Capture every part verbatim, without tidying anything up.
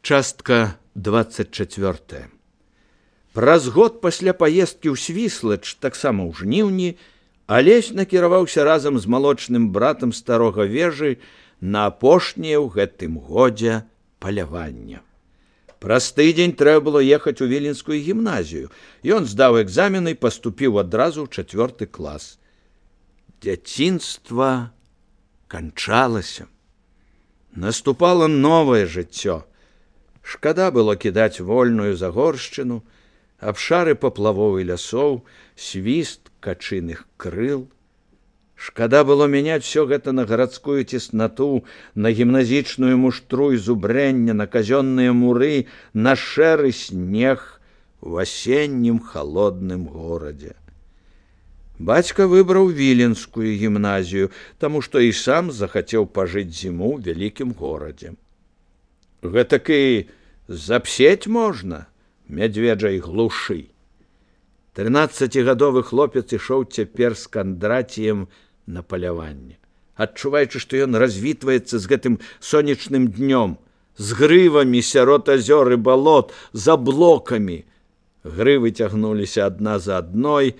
Частка двадцать четвёртая. Праз год пасля паездкі ў Свіслач, таксама ў жніўні, Алесь накіраваўся разам з малочным братам старога вежы на апошняе ў гэтым годзе паляванне. Праз тыдзень трэба было ехаць у Віленскую гімназію. Ён здаў экзамены і паступіў адразу ў чацвёрты клас. Дзяцінства канчалася. Наступала новае жыццё. Шкада было кідаць вольную загоршчыну, абшары паплавоў і лясоў, свіст качыных крыл. Шкада было мяняць всё гэта на гарадскую цеснату, на гімназічную муштру і зубрэння, на казённыя муры, на шэры снег у асеннім халодным горадзе. Бацька выбраў Віленскую гімназію, таму што і сам захацеў пажыць зіму ў вялікім горадзе. Гэтак і запсець можна мядзведжай глушы. Трынаццацігадовы хлопец ішоў цяпер з Кандраціем на паляванне, адчуваючы, што ён развітваецца з гэтым сонечным днём, з грывамі сярод азёр і балот, за блокамі. Грывы цягнуліся адна за адной.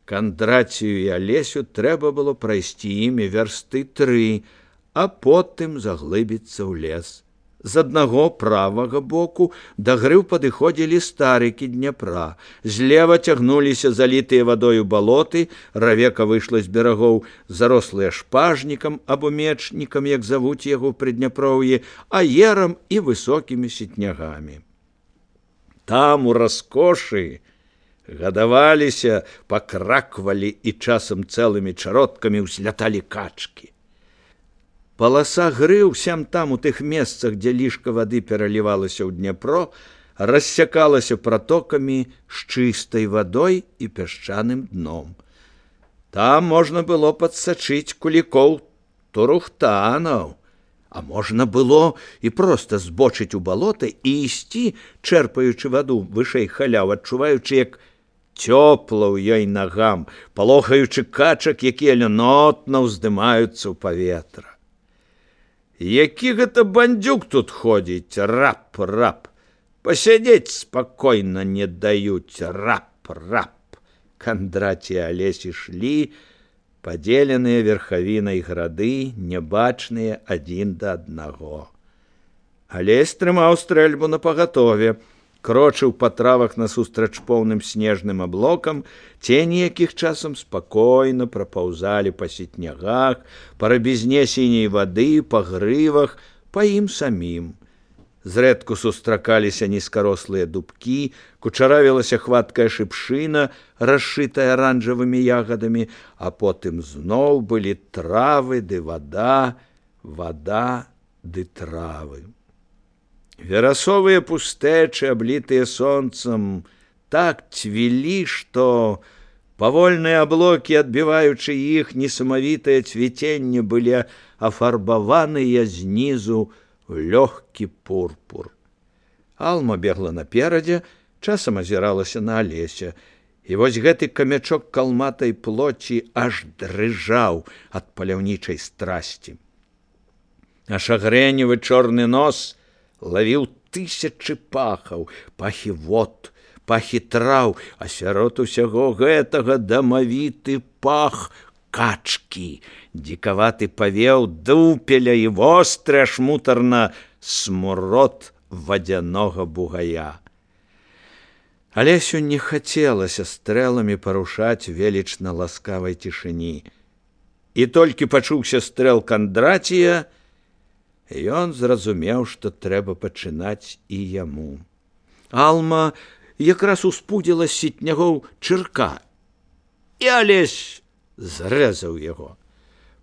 Кандрацію і Алесю трэба было прайсці імі вярсты тры, а потым заглыбіцца ў лес. З аднаго правага боку да грыў падыходзілі старыкі Дняпра. Злева цягнуліся залітыя вадою балоты, равека выйшла з берагоў, зарослыя шпажнікам або мечнікам, як завуць яго ў Прыдняпроўі, аерам і высокімі сетнягамі. Там у раскошы гадаваліся, пакраквалі і часам цэлымі чародкамі ўзляталі качкі. Паласа грыў сям-там у тых месцах, дзе лішка вады пералівалася ў Дняпро, рассякалася пратокамі з чыстай вадой і пясчаным дном. Там можна было падсачыць кулікоў турухтанаў, а можна было і проста збочыць у балота і ісці, чэрпаючы ваду вышэй халяў, адчуваючы, як цёпла ў ёй нагам, палохаючы качак, якія льнотна ўздымаюцца ў паветра. Які гэта бандзюк тут ходзіць, рап-рап, пасядзець спакойна не даюць, рап-рап. Кандраці і Алесь ішлі, падзеленыя верхавінай грады, нябачныя адзін да аднаго. Алесь трымаў стрэльбу напагатове, крочыў па травах насустрач поўным снежным аблокам, цені якіх часам спакойна прапаўзалі па сетнягах, па рабізне сіняй вады, па грывах, па ім самім. Зрэдку сустракаліся нізкарослыя дубкі, кучаравілася хваткая шыпшына, расшытая аранжавымі ягадамі, а потым зноў былі травы ды вада, вада ды травы. Верасовыя пустэчы, аблітыя сонцам, так цвілі, што павольныя аблокі, адбіваючы іх несамавітае цвіценне, былі афарбаваныя знізу ў лёгкі пурпур. Алма бегла наперадзе, часам азіралася на Алеся, і вось гэты камячок калматай плоці аж дрыжаў ад паляўнічай страсці. А шагрэневы чорны нос лавіў тысячы пахаў, пахі вод, пахі траў, а сярод усяго гэтага дамавіты пах качкі, дзікаваты павеў дупеля і востры аж мутарна смурод вадзянога бугая. Алесю не хацелася стрэламі парушаць велічна ласкавай цішыні. І толькі пачуўся стрэл Кандрація, ён зразумеў, што трэба пачынаць і яму. Алма якраз успудзіла з сетнягоў чырка, і Алесь зрэзаў яго.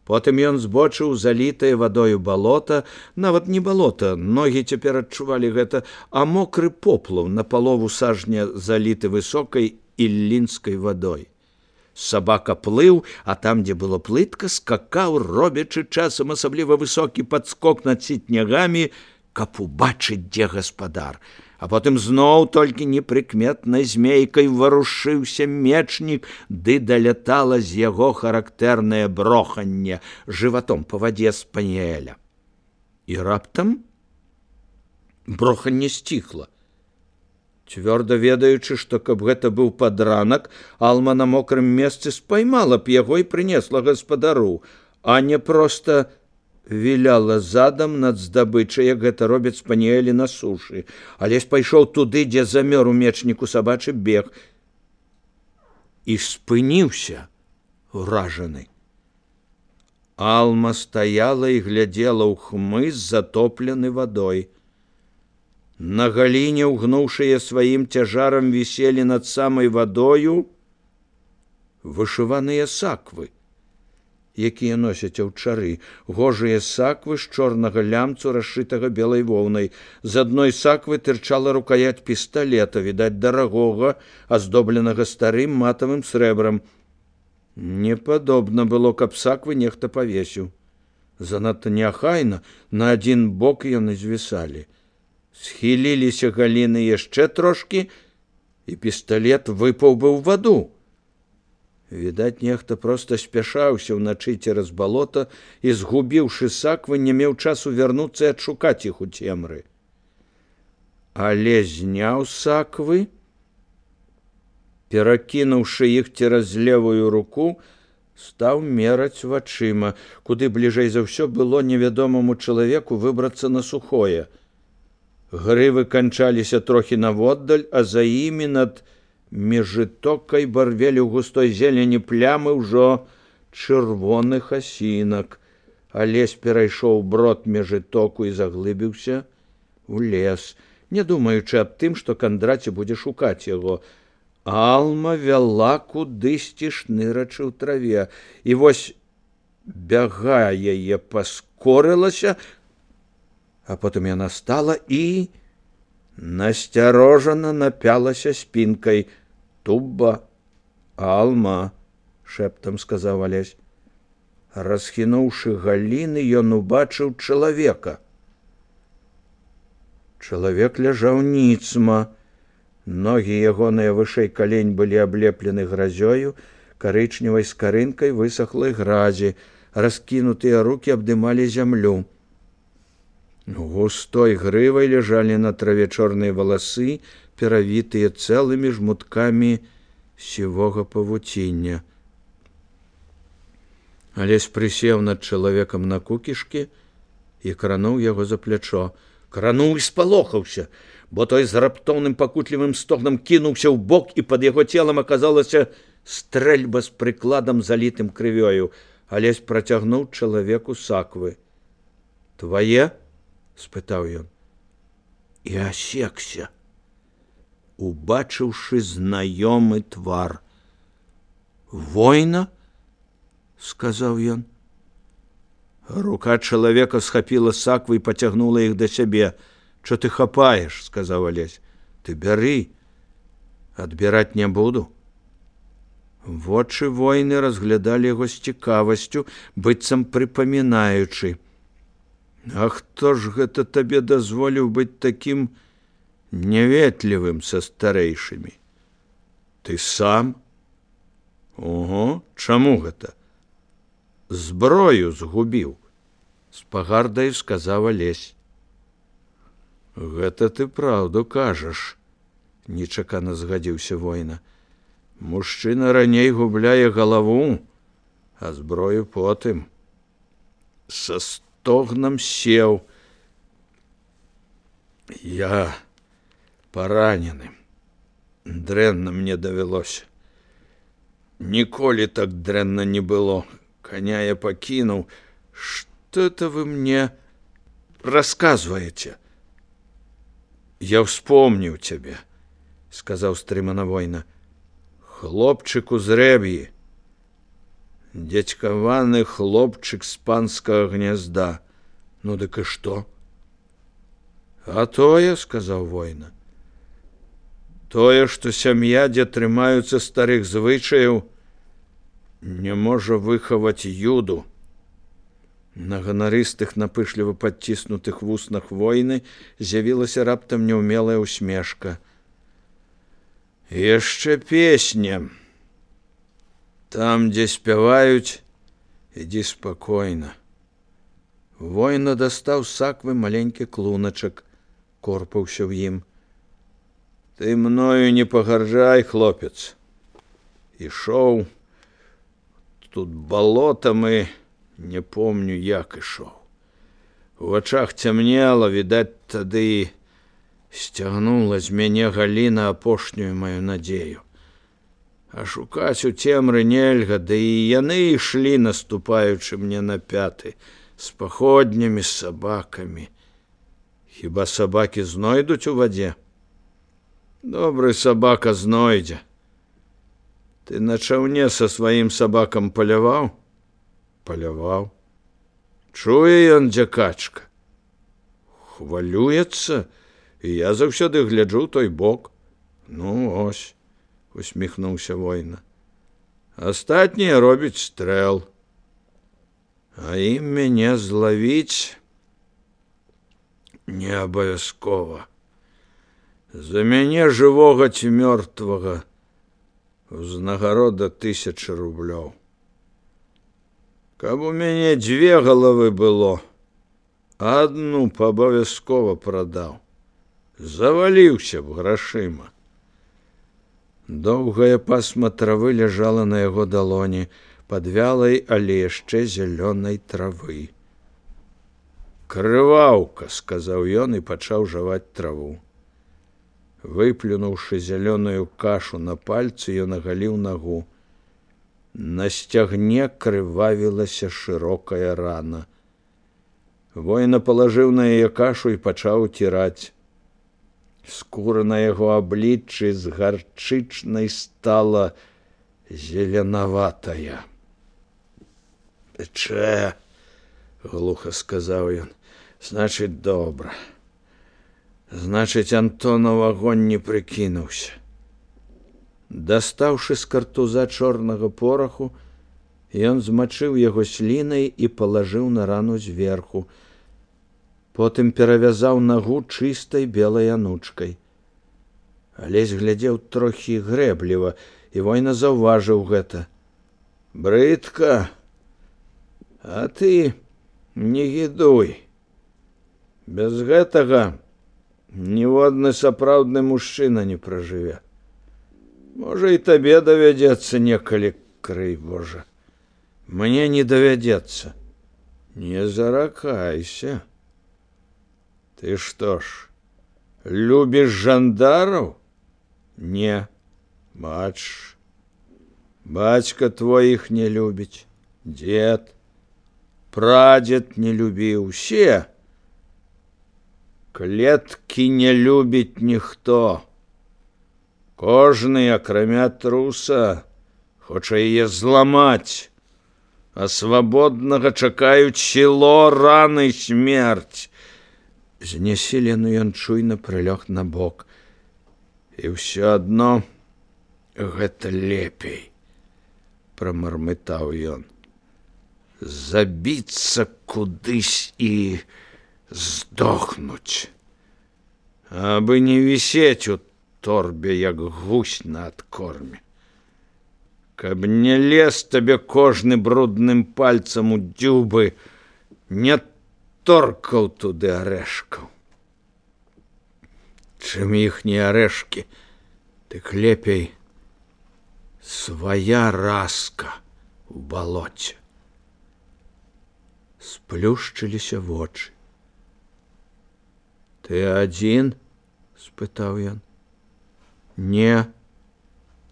Потым ён збочыў залітае вадою балота, нават не балота, ногі цяпер адчувалі гэта, а мокры поплаў на палову сажня заліты высокай іллінскай вадой. Сабака плыў, а там, дзе было плытка, скакаў, робячы часам асабліва высокі падскок над сетнягамі, каб убачыць, дзе гаспадар. А потым зноў толькі непрыкметнай змейкай варушыўся мечнік, ды далятала з яго характэрнае броханне жыватом па вадзе спаніэля. І раптам Броханне сціхла. Цвёрда ведаючы, што каб гэта быў падранак, Алма на мокрым месцы спаймала б яго і прынесла гаспадару, а не проста віляла задам над здабычай, як гэта робяць спаніэлі на сушы. Алесь пайшоў туды, дзе замёр у мечніку сабачы бег, і спыніўся уражаны. Алма стаяла і глядзела ў хмыз, затоплены вадой. На галіне, угнуўшыя сваім цяжарам, віселі над самай вадою вышываныя саквы, якія носяць аўчары, гожыя саквы з чорнага лямцу, расшытага белай воўнай. З адной саквы тырчала рукаять пісталета, відаць, дарагога, аздобленага старым матавым срэбрам. Не падобна было, каб саквы нехта павесіў. Занадта неахайна на адзін бок яны звісалі. Схіліліся галіны яшчэ трошкі, і пісталет выпаў бы ў ваду. Відаць, нехта проста спяшаўся ўначы цераз балота і, згубіўшы саквы, не меў часу вярнуцца і адшукаць іх у цемры. Але зняў саквы, перакінуўшы іх цераз левую руку, стаў мераць вачыма, куды бліжэй за ўсё было невядомаму чалавеку выбрацца на сухое. Грывы канчаліся трохі наводдаль, а за імі над межытокай барвелі ў густой зелені плямы ўжо чырвоных асінак. Алесь перайшоў брод межытоку і заглыбіўся у лес, не думаючы аб тым, што Кандраці будзе шукаць яго. Алма вяла кудысьці, шнырачы ў траве, і вось бягая яе паскорылася, а потым яна стала і насцярожана напялася спінкай. «Тубба, Алма», — шэптам сказаў Алесь. Расхінуўшы галіны, ён убачыў чалавека. Чалавек ляжаў ніцма. Ногі ягоныя вышэй калень былі аблеплены гразёю, карычневай скарынкай высахлай гразі, раскінутыя рукі абдымалі зямлю. Густой грывай ляжалі на траве чорныя валасы, перавітыя цэлымі жмуткамі сівога павуціння. Алесь прысеў над чалавекам на кукішкі і крануў яго за плячо. Крануў і спалохаўся, бо той з раптоўным пакутлівым стогнам кінуўся ў бок, і пад яго целам аказалася стрэльба з прыкладам, залітым крывёю. Алесь працягнуў чалавеку саквы. «Твае?» — спытаў ён. І асекся, убачыўшы знаёмы твар. «Война?» — сказаў ён. Рука чалавека схапіла саквы і пацягнула іх да сябе. «Чо ты хапаеш?» — сказаў Алесь. «Ты бяры, адбіраць не буду». Вочы войны разглядалі яго з цікавасцю, быццам прыпамінаючы. «А хто ж гэта табе дазволіў быць такім няветлівым са старэйшымі? Ты сам?» «Ого, чаму гэта?» «Зброю згубіў», — з пагардаю сказаў Алесь. «Гэта ты праўду кажаш», — нечакана згадзіўся война. «Мужчына раней губляе галаву, а зброю потым». Са стогнам сеў. «Я паранены. Дрэнна мне давялося. Ніколі так дрэнна не было. Коня я пакінуў. Што это вы мне расказваеце?» «Я вспомніў цябе», — сказаў стрымана война. «Хлопчык у зрэб'і. Дзядзькаваны хлопчык з панскага гнязда. Ну дык і што?» «А тое, — сказаў война, — тое, што сям'я, дзе трымаюцца старых звычаяў, не можа выхаваць юду». На ганарыстых, напышліва падціснутых вуснах войны з'явілася раптам няўмелая усмешка. «Яшчэ песня. Там, дзе спяваюць, ідзі спакойна». Война дастаў з саквы маленькі клуначак. корпаўся ў ім. Ты мною не пагарджай, хлопец. Ішоў тут балотам і не помню, як ішоў. У вачах цямнела, відаць, тады сцягнула з мяне Галіна апошнюю маю надзею. А шукаць у цемры нельга, да і яны ішлі, наступаючы мне на пяты, з паходнямі, з сабакамі. Хіба сабакі знойдуць у вадзе? Добры сабака знойдзе. Ты на чаўне са сваім сабакам паляваў? Паляваў. Чуе ён, дзе качка? Хвалюецца, і я заўсёды гляджу той бок. Ну, ось, усміхнуўся воїна. Астатнія робяць стрэл. А ім мяне злавіць не абавязкова. За мяне жывога ці мёртвага узнагарода тысяча рублёў. Каб у мяне дзве галавы было, адну паабавязкова прадаў. Заваліўся б грашыма. Доўгае пасма травы ляжала на яго далоні, пад вялай, але яшчэ зялёнай травы. Крываўка, сказаў ён і пачаў жаваць траву. Выплюнуўшы зялёную кашу на пальцы, ён агаліў нагу. На сцягне крывавілася шырокая рана. Воіна палажыў на яе кашу і пачаў уціраць. Скура на яго абліччы з гарчычнай стала зеленаватая. Пече, глуха сказаў ён, значыць, добра. Значыць, Антонов агонь не прыкінуўся. Дастаўшы з картуза чорнага пораху, ён змачыў яго слінай і палажыў на рану зверху. Потым перавязаў нагу чыстай белай анучкай. Алесь глядзеў трохі грэбліва, і воіна заўважыў гэта. Брыдка, а ты не гідуй. Без гэтага ніводны сапраўдны мужчына не пражыве. Можа, і табе давядзецца некалі, крый Божа. Мне не давядзецца. Не заракайся. Ты што ж, любіш жандараў? Не, бач, бацька твой іх не любіць, дзед, прадзед не любіў, усе. Клеткі не любіць ніхто. Кожны, акрамя труса, хоча яе зламаць, а свабоднага чакаюць сіло, раны, смерць. Знесілены ён чуйна прылёг на бок. І ўсё адно гэта лепей, прамармытаў ён. Забіцца кудысь і здохнуць, абы не вісець у торбе, як гусь на адкорме. Каб не лез табе кожны брудным пальцам у дзюбы, не торкаў туды арэшкаў. Чым іхнія арэшкі, дык лепей свая раска ў балоце. Сплюшчыліся вочы. Ты адзін? Спытаў ён. Не,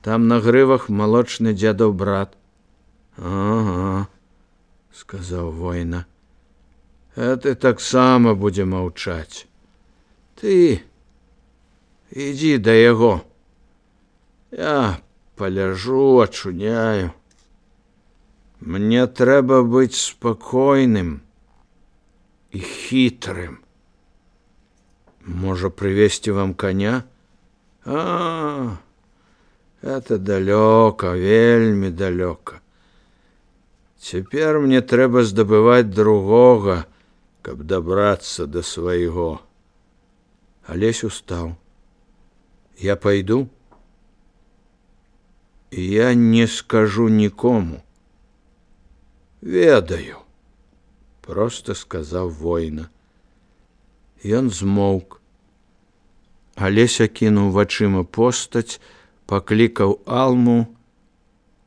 там на грывах малочны дзядаў брат. Ага, сказаў воіна. А ты таксама будзе маўчаць. Ты ідзі да яго. Я паляжу, ачуняю. Мне трэба быць спакойным і хітрым. Можа, прывезці вам коня? А, это далёка, вельмі далёка. Цяпер мне трэба здабываць другога, каб дабрацца да свайго. Алесь устаў. Я пайду? Я не скажу нікому. Ведаю, просто сказаў воіна. Ён змоўк, Алеся кінуў вачыма постаць, паклікаў Алму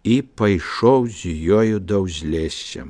і пайшоў з ёю да ўзлесся.